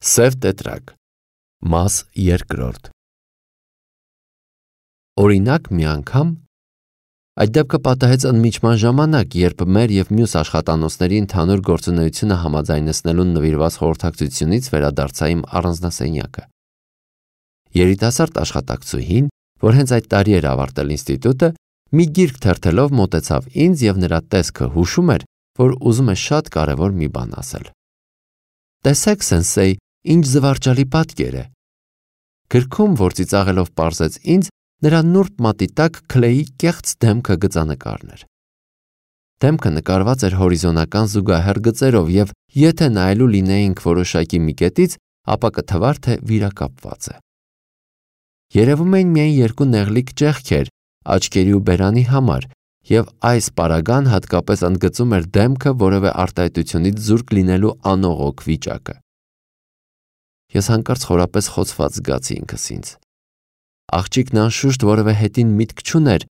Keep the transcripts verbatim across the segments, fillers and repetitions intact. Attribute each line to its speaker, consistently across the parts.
Speaker 1: Սև տետրակ, մաս երկրորդ։ Օրինակ մի անգամ, այդ դեպքը պատահեց ընդմիջման ժամանակ, երբ մեր և մյուս աշխատանոցների ընդհանուր գործունեությունը համաձայնեցնելուն նվիրված խորհրդակցությունից վերադարձա իմ առանձնասենյակը։ Երիտասարդ աշխատակցուհին, որ հենց այդ տարի էր ավարտել ինստիտուտը, մի գիրք թերթելով մոտեցավ ինձ և նրա տեսքը հուշում էր, որ ուզում է շատ կարևոր մի բան ասել։ Տեսեք, սենսեյ, ինչ զվարճալի պատկեր է։ Գրքում, որ ծիծաղելով պարզեց ինձ, նրա նուրբ մատի տակ Քլեյի կեղծ դեմքը գծանկարն էր։ Դեմքը նկարված էր հորիզոնական զուգահեռ գծերով և եթե նայելու լինեինք որոշակի մի կետից, ապա կթվար, թե վիրակապված է։ Երևում էին միայն երկու նեղլիկ ճեղքեր աչքերի ու բերանի համար, և այս պարագան հատկապես ընդգծում էր դեմքը որևէ արտահայտությունից զուրկ լինելու անողոք վիճակը։ Ես հանկարծ խորապես խոցված զգացի ինքս ինձ։ Աղջիկն անշուշտ որևէ հետին միտք չուներ,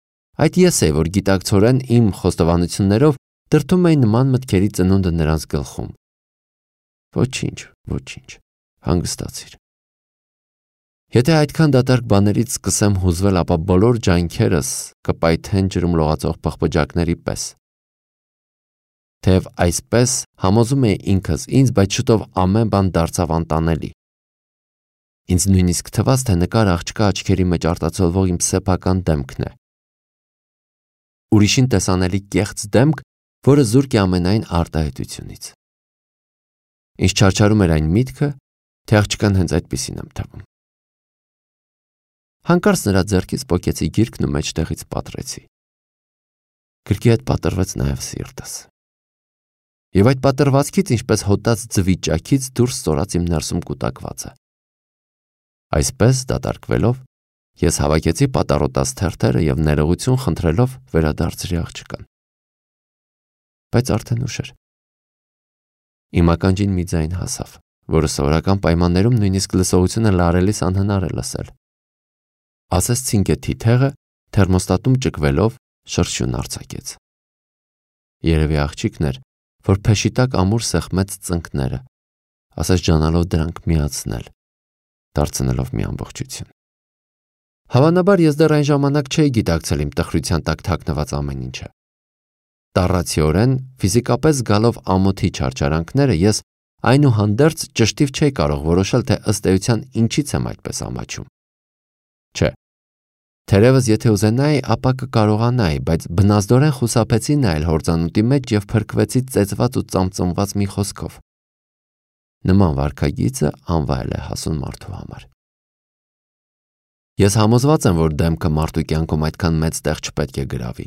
Speaker 1: այդ ես էի, որ գիտակցորեն իմ խոստովանություններով դրդում էի նման մտքերի ծնունդը նրանց գլխում։ Ոչինչ, ոչինչ, հանգստացիր։ Եթե այդքան դատարկ բաներից սկսեմ հուզվել, ապա բոլոր ջանքերս կպայթեն ջրում լողացող պղպջակների պես։ Թեև այսպես համոզում էի ինքս ինձ, բայց շուտով ամեն բան դարձավ անտանելի։ Ինձ նույնիսկ թվաց, թե նկար աղջկա աչքերի մեջ արտացոլվող իմ սեփական դեմքն է։ Ուրիշին տեսանելի կեղծ դեմք, որը զուրկ է ամենայն արտահայտությունից։ Ինձ չարչարում էր այն միտքը, թե աղջկան հենց այդպիսին եմ թվում։ Հանկարծ նրա ձեռքից պոկեցի գիրքն ու մեջտեղից պատռեցի։ Գրքի հետ պատռվեց նաև սիրտս։ Եվ այդ պատռվածքից, ինչպես հոտած ձվի ճաքից, դուրս ստորաց իմ ներսում կուտակվածը։ Այսպես դատարկվելով, ես հավաքեցի պատառոտած թերթերը և ներողություն խնդրելով վերադարձրի աղջկան։ Բայց արդեն ուշ էր։ Իմ ականջին մի ձայն հասավ, որը սովորական պայմաններում նույնիսկ լսողությունը լարելիս անհնար է լսել։ Ասես ցինկե թիթեղը թերմոստատում ճկվելով շրշյուն արձակեց։ Երևի աղջիկն էր, որ փեշի տակ ամուր սեղմեց ծնկները, ասես ջանալով դրանք միացնել, դարձնելով մի ամբողջություն։ Հավանաբար ես դեռ այն ժամանակ չէի գիտակցել իմ տխրության տակ թաքնված ամեն ինչը։ Տառացիորեն, ֆիզիկապես զգալով ամոթի չարչարանքները, ես այնուհանդերձ ճշտիվ չէի կարող որոշել, թե ըստ էության ինչից եմ այդպես ամաչում։ Չէ, թերևս եթե ուզենայի, ապա կկարողանայի, բայց բնազդորեն խուսափեցի նայել հորձանուտի մեջ և փրկվեցի ծեծված ու ծամծմված մի խոսքով։ Նման վարքագիծը անվայել է հասուն մարդու համար։ Ես համոզված եմ, որ դեմքը մարդու կյանքում այդքան մեծ տեղ չպետք է գրավի։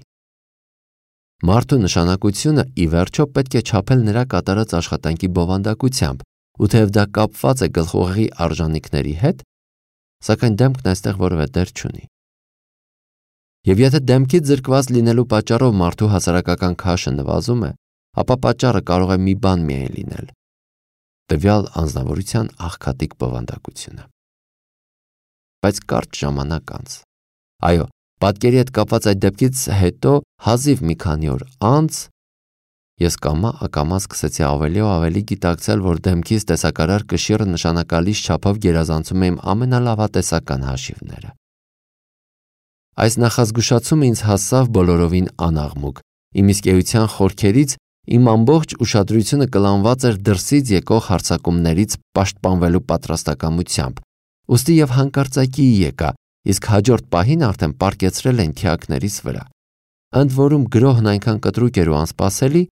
Speaker 1: Մարդու նշանակությունը ի վերջո պետք է չափել նրա կատարած աշխատանքի բովանդակությամբ, ու թեև դա կապված է գլխուղեղի արժանինքների հետ, սակայն դեմքն այստեղ որևէ դեր չունի։ Եվ եթե դեմքից զրկված լինելու պատճառով մարդու հասարակական քաշը նվազում է, ապա պատճառը կարող է մի բան միայն լինել՝ տվյալ անձնավորության աղքատիկ բովանդակությունը։ Բայց կարճ ժամանակ անց, այո, պատկերի հետ կապված այդ դեպքից հետո հազիվ մի քանի օր անց, ես կամա-ակամա սկսեցի ավելի ու ավելի գիտակցել, որ դեմքից տեսակարար կշիռը նշանակալից չափով գերազանցում է իմ ամենալավատեսական հաշիվները։ Այս նախազգուշացումը ինձ հասավ բոլորովին անաղմուկ, իմ իսկ էության խորքերից իմ ամբողջ ուշադրությունը կլանված էր դրսից եկող հարձակումներից պաշտպանվելու պատրաստակամությամբ, ուստի և հանկարծակիի եկա, իսկ հաջորդ պահին արդեն պառկեցրել են թիակներիս վրա։ Ընդ որում գրոհն այնքան կտրուկ էր ու անսպասելի,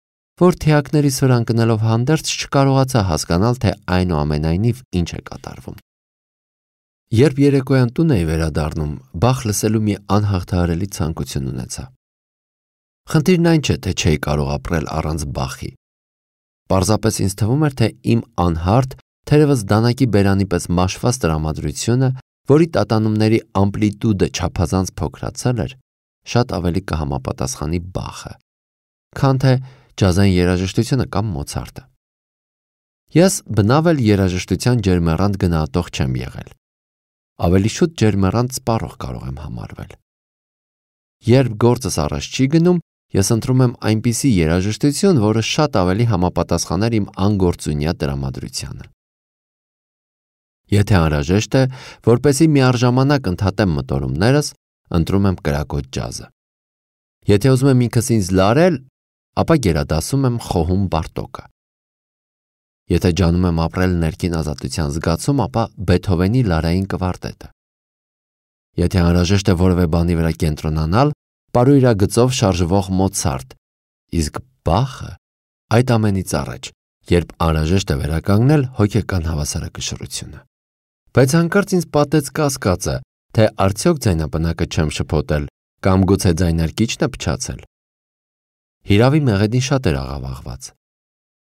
Speaker 1: որ թիակներիս վրա ընկնելով հանդերձ չկարողացա հասկանալ, թե այնուամենայնիվ ինչ է կատարվում։ Երբ երեկոյան տուն էի վերադառնում, բախ լսելու մի անհաղթահարելի ցանկություն ունեցա։ Խնդիրն այն չէ, թե չէի կարող ապրել առանց բախի։ Պարզապես ինձ թվում էր, թե իմ անհարթ, թերևս դանակի բերանի պես մաշված տրամադրությունը, որի տատանումների ամպլիտուդը չափազանց փոքրացել էր, շատ ավելի կհամապատասխանի բախը, քան թե ջազային երաժշտությունը կամ Մոցարտը։ Ես բնավ էլ երաժշտության ջերմեռանդ գնահատող չեմ եղել։ Ավելի շուտ ջերմեռանդ սպառող կարող եմ համարվել։ Երբ գործս առաջ չի գնում, ես ընտրում եմ այնպիսի երաժշտություն, որը շատ ավելի համապատասխաներ իմ անգործունյա տրամադրությանը։ Եթե անհրաժեշտ է, որպեսզի միառժամանակ ընդհատեմ մտորումներս, ընտրում եմ կրակոտ ջազը։ Եթե ուզում եմ ինքս ինձ լարել, ապա գերադասում եմ խոհում Բարտոկը։ Եթե ջանում եմ ապրել ներքին ազատության զգացում, ապա Բեթհովենի լարային կվարտետը։ Եթե անհրաժեշտ է որևէ բանի վրա կենտրոնանալ, պարույրագծով շարժվող Մոցարտ, իսկ Բախը այդ ամենից առաջ, երբ անհրաժեշտ է վերականգնել հոգեկան հավասարակշռությունը։ Բայց հանկարծ ինձ պատեց կասկածը, թե արդյոք ձայնապնակը չեմ շփոթել կամ գուցե ձայնարկիչն է փչացել։ Հիրավի մեղեդին շատ էր աղավաղված։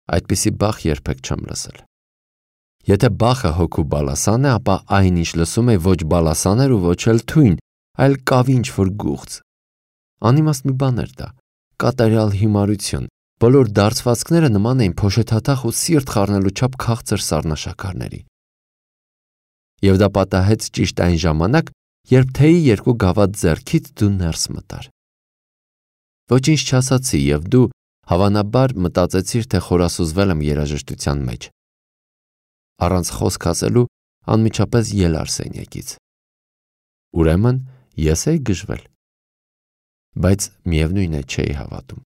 Speaker 1: Այդպիսի Բախ երբեք չեմ լսել։ Եթե Բախը հոգու բալասան է, ապա այն ինչ լսում է ոչ բալասան էր ու ոչ էլ թույն, այլ կավի ինչ-որ գուղծ։ Անիմաստ մի բան էր դա, կատարյալ հիմարություն, բոլոր դարձվածքները նման էին փոշեթաթախ ու սիրտ խառնելու չափ քաղցր սառնաշաքարների։ Եվ դա պատահեց ճիշտ այն ժամանակ, երբ թեյի երկու գավաթ ձեռքից դու ներս մտար։ Ոչինչ չասացի և դու հավանաբար մտածեցիր, թե խորասուզվել եմ երաժշտության մեջ։ Առանց խոսք ասելու անմիջապես ելար սենյակից։ Ուրեմն ես էի գժվել։ Բայց միևնույն է չէի հավատում։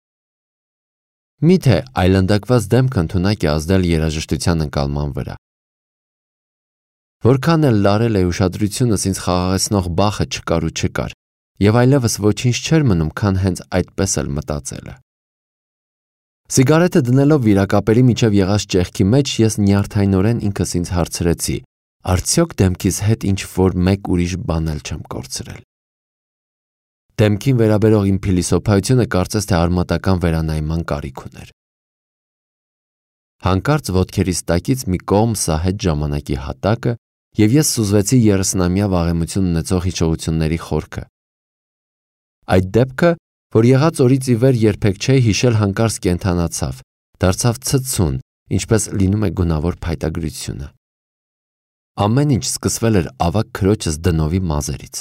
Speaker 1: Միթե այլանդակված դեմքը ընդունակ է ազդել երաժշտության ընկալման վրա։ Որքան էլ լարել է ուշադրությունս ինձ խաղաղեցնող Բախը չկար ու չկար, և այլևս ոչինչ չէր մնում, քան հենց այդպես էլ մտածելը։ Սիգարետը դնելով վիրակապերի միջև եղած ճեղքի մեջ, ես նյարդայնորեն ինքս ինձ հարցրեցի, արդյոք դեմքիս հետ ինչ-որ մեկ ուրիշ բան էլ չեմ կորցրել։ Դեմքին վերաբերող իմ փիլիսոփայությունը կարծես թե արմատական վերանայման կարիք ուներ։ Հանկարծ ոտքերիս տակից մի կողմ սահեց ժամանակի հատակը, և ես սուզվեցի երեսնամյա վաղեմություն ունեցող հիշողությունների խորքը։ Այդ դեպքը, որ եղած օրից ի վեր երբեք չէի հիշել, հանկարծ կենդանացավ, դարձավ ցցուն, ինչպես լինում է գունավոր փայտագրությունը։ Ամեն ինչ սկսվել էր ավագ քրոջս Դնովի մազերից։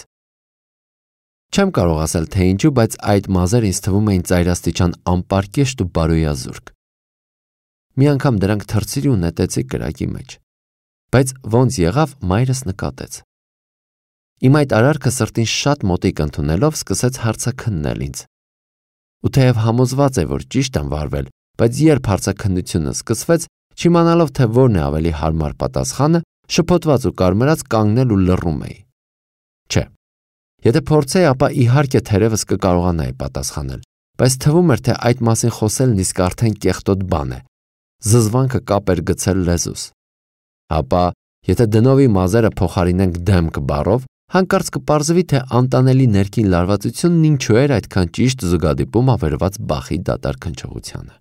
Speaker 1: Չեմ կարող ասել, թե ինչու, բայց այդ մազերը ինձ թվում էին ծայրաստիճան անպարկեշտ ու բարոյազուրկ։ Մի անգամ դրանք թռցրի ու նետեցի կրակի մեջ։ Բայց ոնց եղավ, մայրս նկատեց։ Իմ այդ արարքը սրտին շատ մոտիկ ընդունելով սկսեց հարցաքննել ինձ։ Ու թեև համոզված է, որ ճիշտ եմ վարվել, բայց երբ հարցաքննությունը սկսվեց, չիմանալով, թե որն է ավելի հարմար պատասխանը, շփոթված ու կարմրած կանգնել ու լռում էի։ Չէ, եթե փորձեի, ապա իհարկե թերևս կկարողանայի պատասխանել, բայց թվում էր, թե այդ մասին խոսելն իսկ արդեն կեղտոտ բան է։ Զզվանքը կապ էր գցել լեզուս։ Ապա, եթե Դնովի մազերը փոխարինենք դեմք բառով, հանկարծ կպարզվի, թե անտանելի ներքին լարվածությունն ինչու էր այդքան ճիշտ զուգադիպում ավերված Բախի դատարկ հնչողությանը։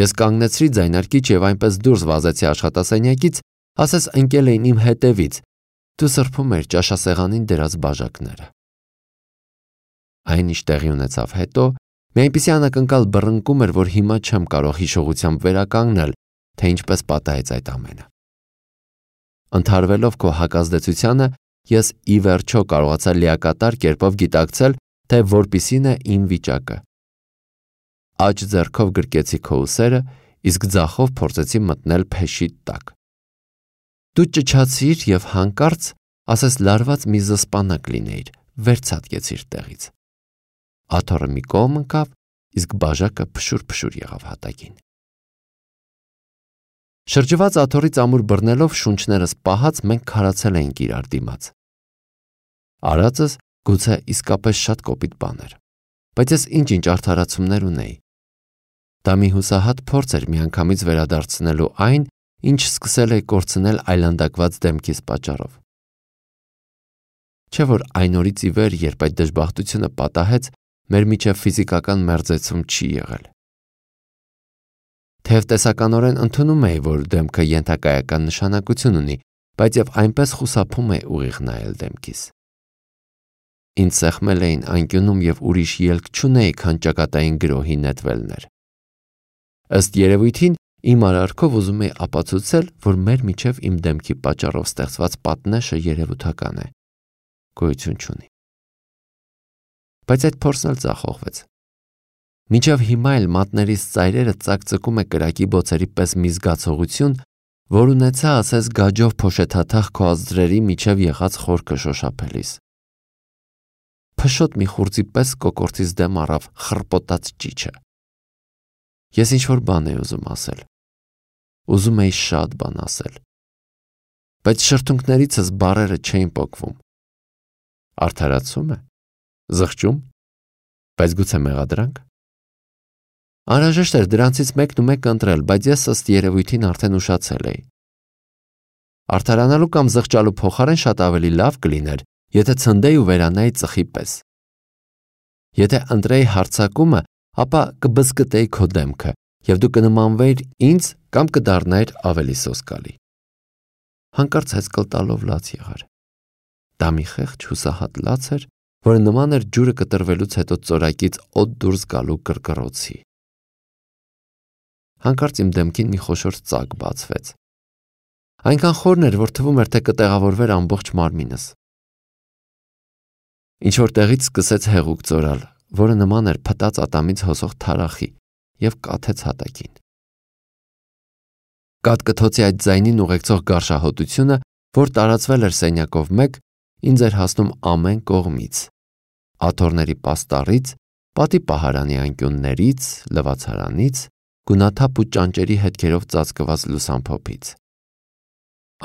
Speaker 1: Ես կանգնեցրի ձայնարկիչ և այնպես դուրս վազեցի աշխատասենյակից, ասես ընկել էին իմ հետևից, դու սրբում էիր ճաշասեղանին դրած բաժակները։ Այն ինչ տեղի ունեցավ հետո, մի այնպիսի անակնկալ բռնկում էր, որ հիմա չեմ կարող հիշողությամբ վերականգնել, թե ինչպես պատահեց այդ ամենը։ Ընդհարվելով քո հակազդեցությանը, ես ի վերջո կարողացա լիակատար կերպով գիտակցել, թե որպիսին է իմ վիճակը։ Աջ ձեռքով գրկեցի քո ուսերը, իսկ ձախով փորձեցի մտնել փեշի տակ։ Դու ճչացիր և հանկարծ, ասես լարված մի զսպանակ լինեիր, վերցատկեցիր տեղից։ Աթոռը մի կողմ ընկավ, իսկ բաժակը փշուր-փշուր եղավ հատակին։ Շրջված աթոռից ամուր բռնելով շունչներս պահած մենք քարացել էինք իրար դիմաց։ Արածս գուցե իսկապես շատ կոպիտ բան էր, բայց ես ինչ-ինչ արդարացումներ ունեի։ Դա մի հուսահատ փորձ էր միանգամից վերադարձնելու այն, ինչ սկսել էի կորցնել այլանդակված դեմքիս պատճառով։ Չէ՞ որ այն օրից ի վեր, երբ այդ դժբախտությունը պատահեց, մեր միջև ֆիզիկական մերձեցում չի եղել։ Թեև տեսականորեն ընդունում էի, որ դեմքը ենթակայական նշանակություն ունի, բայց և այնպես խուսափում էի ուղիղ նայել դեմքիս։ Ինձ սեղմել էին անկյունում և ուրիշ ելք չունեի, քան ճակատային գրոհի նետվելներ։ Ըստ երևույթին, իմ արարքով ուզում էի ապացուցել, որ մեր միջև իմ դեմքի պատճառով ստեղծված պատնեշը երևութական է, գոյություն չունի։ Բայց այդ փորձն էլ ձախողվեց։ Մինչև հիմա էլ մատներիս ծայրերը ծակծկում է կրակի բոցերի պես մի զգացողություն, որ ունեցա ասես գաջով փոշեթաթախ քո ազդրերի միջև եղած խորքը շոշափելիս։ Փշոտ մի խուրձի պես կոկորտից դեմ առավ խռպոտած ճիչը։ Ես ինչ-որ բան էի ուզում ասել։ Ուզում էի շատ բան ասել։ Բայց շրթունքներիցս բառերը չէին պոկվում։ Արդարացում է։ Զղջում։ Բայց գուցե մեղադրանք։ Անհրաժեշտ էր դրանցից մեկն ու մեկը ընտրել, բայց ես ըստ երևույթին արդեն ուշացել էի։ Արդարանալու կամ զղջալու փոխարեն շատ ավելի լավ կլիներ, եթե ցնդեի ու վերանայի ծխի պես։ Եթե ընտրեի հարձակումը, ապա կբզկտեի քո դեմքը, և դու կնմանվեիր ինձ կամ կդառնայիր ավելի սոսկալի։ Հանկարծ հեծկլ տալով լաց եղար։ Դա մի խեղճ հուսահատ լաց էր, որը նման էր ջուրը կտրվելուց հետո ծորակից օդ դուրս գալու կռկռոցի։ Հանկարծ իմ դեմքին մի խոշոր ծակ բացվեց։ Այնքան խորն էր, որ թվում էր, թե կտեղավորվեր ամբողջ մարմինս։ Ինչ-որ տեղից սկսեց հեղուկ ծորալ, որը նման էր փտած ատամից հոսող թարախի, և կաթեց հատակին։ Կաթկթոցի այդ ձայնին ուղեկցող գարշահոտությունը, որ տարածվել էր սենյակով մեկ, ինձ էր հասնում ամեն կողմից, աթոռների պաստառից, պատի պահարանի անկյուններից, լվացարանից, գունաթափ ու ճանճերի հետքերով ծածկված լուսամփոփից։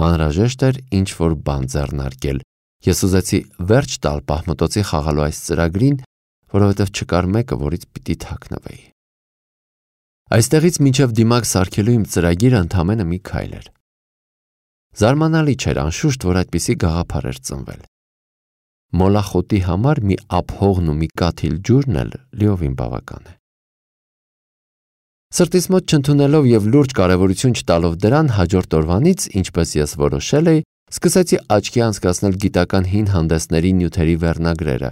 Speaker 1: Անհրաժեշտ էր ինչ-որ բան ձեռնարկել։ Ես ուզեցի վերջ տալ պահմտոցի խաղալու այս ծրագրին, որովհետև չկար մեկը, որից պիտի թաքնվեի։ Այստեղից մինչև դիմակ սարքելու իմ ծրագիրը ընդամենը մի քայլ էր։ Զարմանալի չէր անշուշտ, որ այդպիսի գաղափար էր ծնվել։ Մոլախոտի համար մի ափհողն ու մի կաթիլ ջուրն էլ լիովին բավական է։ Սրտիս մոտ չընդունելով և լուրջ կարևորություն չտալով դրան, հաջորդ օրվանից, ինչպես ես որոշել էի, սկսեցի աչքի անցկացնել գիտական հին հանդեսների նյութերի վերնագրերը։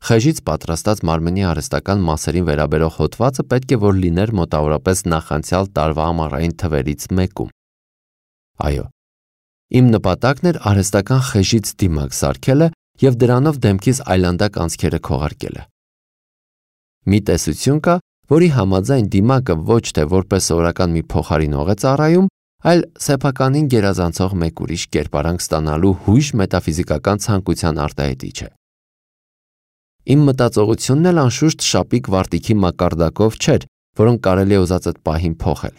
Speaker 1: Խեժից պատրաստած մարմնի արհեստական մասերին վերաբերող հոդվածը պետք է որ լիներ մոտավորապես նախանցյալ տարվա ամառային թվերից մեկում։ Այո, իմ նպատակն էր արհեստական խեժից դիմակ սարքելը և դրանով դեմքիս այլանդակ անցքերը քողարկելը։ Մի տեսություն կա, որի համաձայն դիմակը ոչ թե որպես սովորական մի փոխարինող է ծառայում, այլ սեփականին գերազանցող մեկ ուրիշ կերպարանք ստանալու հույժ մետաֆիզիկական ցանկության արտահայտիչ է։ Իմ մտածողությունն էլ անշուշտ շապիկ վարտիքի մակարդակով չէր, որոնք կարելի է ուզած այդ պահին փոխել։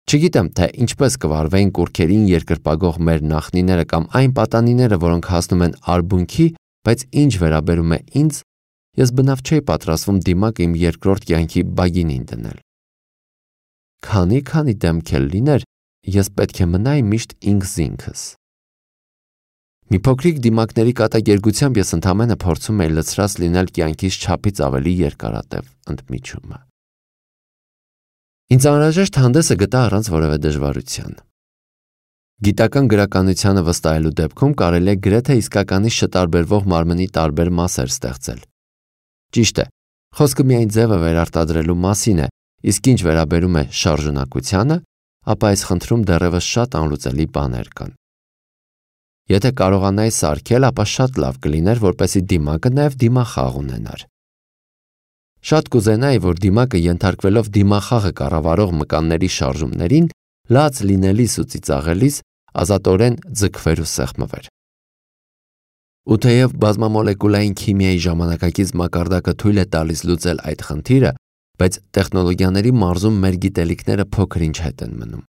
Speaker 1: Չգիտեմ, թե ինչպես կվարվեին կուռքերին երկրպագող մեր նախնիները կամ այն պատանիները, որոնք հասնում են արբունքի, բայց ինչ վերաբերում է ինձ, ես բնավ չէի պատրաստվում դիմակ իմ երկրորդ կյանքի բագինին դնել։ Քանի-քանի դեմք էլ լիներ, ես պետք է մնայի միշտ ինքս ինքս։ Մի փոքրիկ դիմակների կատակերգությամբ ես ընդամենը փորձում էի լցրած լինել կյանքիս չափից ավելի երկարատև ընդմիջումը։ Ինձ անհրաժեշտ հանդեսը գտա առանց որևէ դժվարության։ Գիտական գրականությանը վստահելու դեպքում կարելի է գրեթե իսկականից չտարբերվող մարմնի տարբեր մասեր ստեղծել։ Ճիշտ է, խոսքը միայն ձևը վերարտադրելու մասին է, իսկ ինչ վերաբերում է շարժունակությանը, ապա այս խնդրում դեռևս շատ անլուծելի բաներ կան։ Եթե կարողանայի սարքել, ապա շատ լավ կլիներ, որպեսզի դիմակը նաև դիմախաղ ունենար։ Շատ կուզենայի, որ դիմակը ենթարկվելով դիմախաղը կառավարող մկանների շարժումներին, լաց լինելիս ու ծիծաղելիս ազատորեն ձգվեր ու սեղմվեր։ Ու թեև բազմամոլեկուլային քիմիայի ժամանակակից մակարդակը թույլ է տալիս լուծել այդ խնդիրը, բայց տեխնոլոգիաների մարզում մեր գիտելիքները փոքր ինչ հետ են մնում։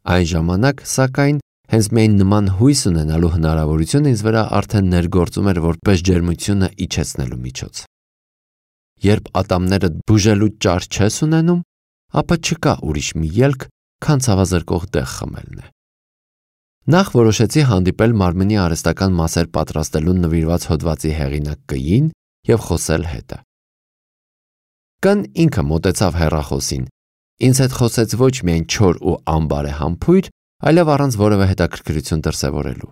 Speaker 1: Այն ժամանակ, սակայն, հենց միայն նման հույս ունենալու հնարավորությունը ինձ վրա արդեն ներգործում էր որպես ջերմությունը իջեցնելու միջոց։ Երբ ատամները բուժելու ճար չես ունենում, ապա չկա ուրիշ մի ելք, քան ցավազրկող դեղ խմելն է։ Նախ որոշեցի հանդիպել մարմնի արհեստական մասեր պատրաստելուն նվիրված հոդվածի հեղինակ Կ-ին և խոսել հետը։ Կն ինքը մոտեցավ հեռախոսին, ինձ հետ խոսեց ոչ միայն չոր ու անբարեհամբույր, այլև առանց որևէ հետաքրքրություն դրսևորելու։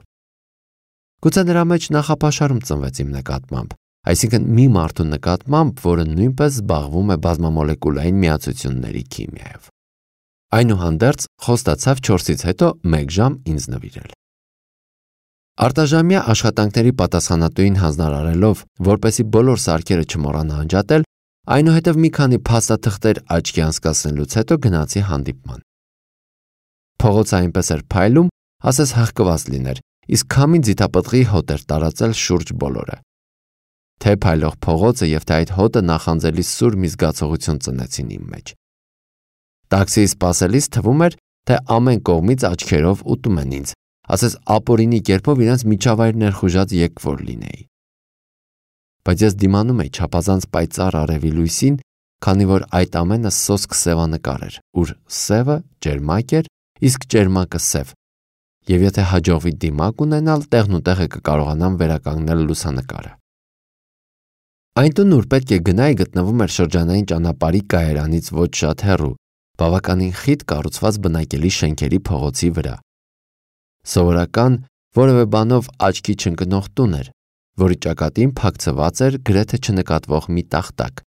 Speaker 1: Գուցե նրա մեջ նախապաշարում ծնվեց իմ նկատմամբ, այսինքն մի մարդու նկատմամբ, որը նույնպես զբաղվում է բազմամոլեկուլային միացությունների քիմիայով։ Այնուհանդերձ խոստացավ չորսից հետո մեկ ժամ ինձ նվիրել։ Արտաժամյա աշխատանքների պատասխանատուին հանձնարարելով, որպեսզի բոլոր սարքերը չմոռանա անջատել, այնուհետև մի քանի փաստաթղթեր աչքի անցկացնելուց հետո գնացի հանդիպման։ Փողոցը այնպես էր փայլում, ասես հղկված լիներ, իսկ քամին ձիթապտղի հոտ էր տարածել շուրջ բոլորը։ Թե փայլող փողոցը և թե այդ հոտը նախանձելի սուր մի զգացողություն ծնեցին իմ մեջ։ Տաքսիի սպասելիս թվում էր, թե ամեն կողմից աչքերով ուտում են ինձ, ասես ապօրինի կերպով իրենց միջավայր ներխուժած եկվոր լինեի։ Բայց ես դիմանում էի չափազանց պայծառ արևի լույսին, քանի որ այդ ամենը սոսկ սևանկար էր, ուր սևը ջերմակ էր, իսկ ջերմակը սև, և եթե հաջողվի դիմակ ունենալ, տեղնուտեղը կկարողանամ վերականգնել լուսանկարը։ Այն տունը, ուր պետք է գնայի, գտնվում էր շրջանային ճանապարհի կայարանից ոչ շատ հեռու, բավականին խիտ կառուցված բնակելի շենքերի փողոցի վրա։ Սովորական, որևէ բանով աչքի չընկնող տուն էր, որի ճակատին փակցված էր գրեթե չնկատվող մի տախտակ՝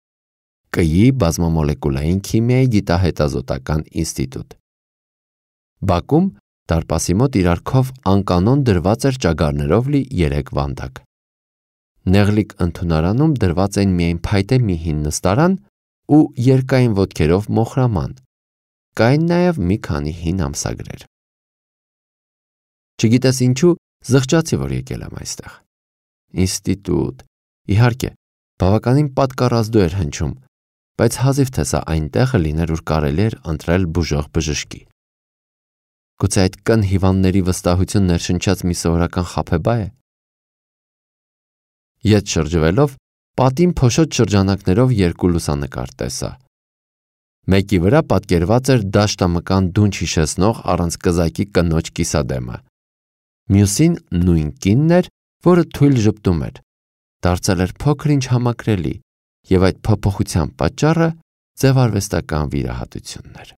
Speaker 1: Կ-ի բազմամոլեկուլային քիմիայի գիտահետազոտական ինստիտուտ։ Բակում դարպասի մոտ իրար քով անկանոն դրված էր ճագարներով լի երեք վանդակ։ Նեղլիկ ընդունարանում դրված էին միայն փայտե մի հին նստարան ու երկայն ոտքերով մոխրաման, կային նաև մի քանի հին ամսագրեր։ Չգիտես ինչու, զղջացի, որ եկել եմ այստեղ։ Ինստիտուտ, իհարկե, բավականին պատկառազդու էր հնչում, բայց հազիվ թե սա այն տեղը լիներ, ուր կարելի էր ընտրել բուժող բժշկի։ Գուցե այդ կն հիվանդների վստահություն ներշնչած մի սովորական խաբեբա է։ Ետ շրջվելով, պատին փոշոտ շրջանակներով երկու լուսանկար տեսա։ Մեկի վրա պատկերված էր դաշտամկան դունչ հիշեցնող առանց կզակի կնոջ կիսադեմը։ Մյուսին նույն կինն էր, որը թույլ ժպտում էր, դարձել էր փոքր-ինչ համակրելի, և այդ փոփոխության պատճառը ձևարվեստական վիրահատությունն էր։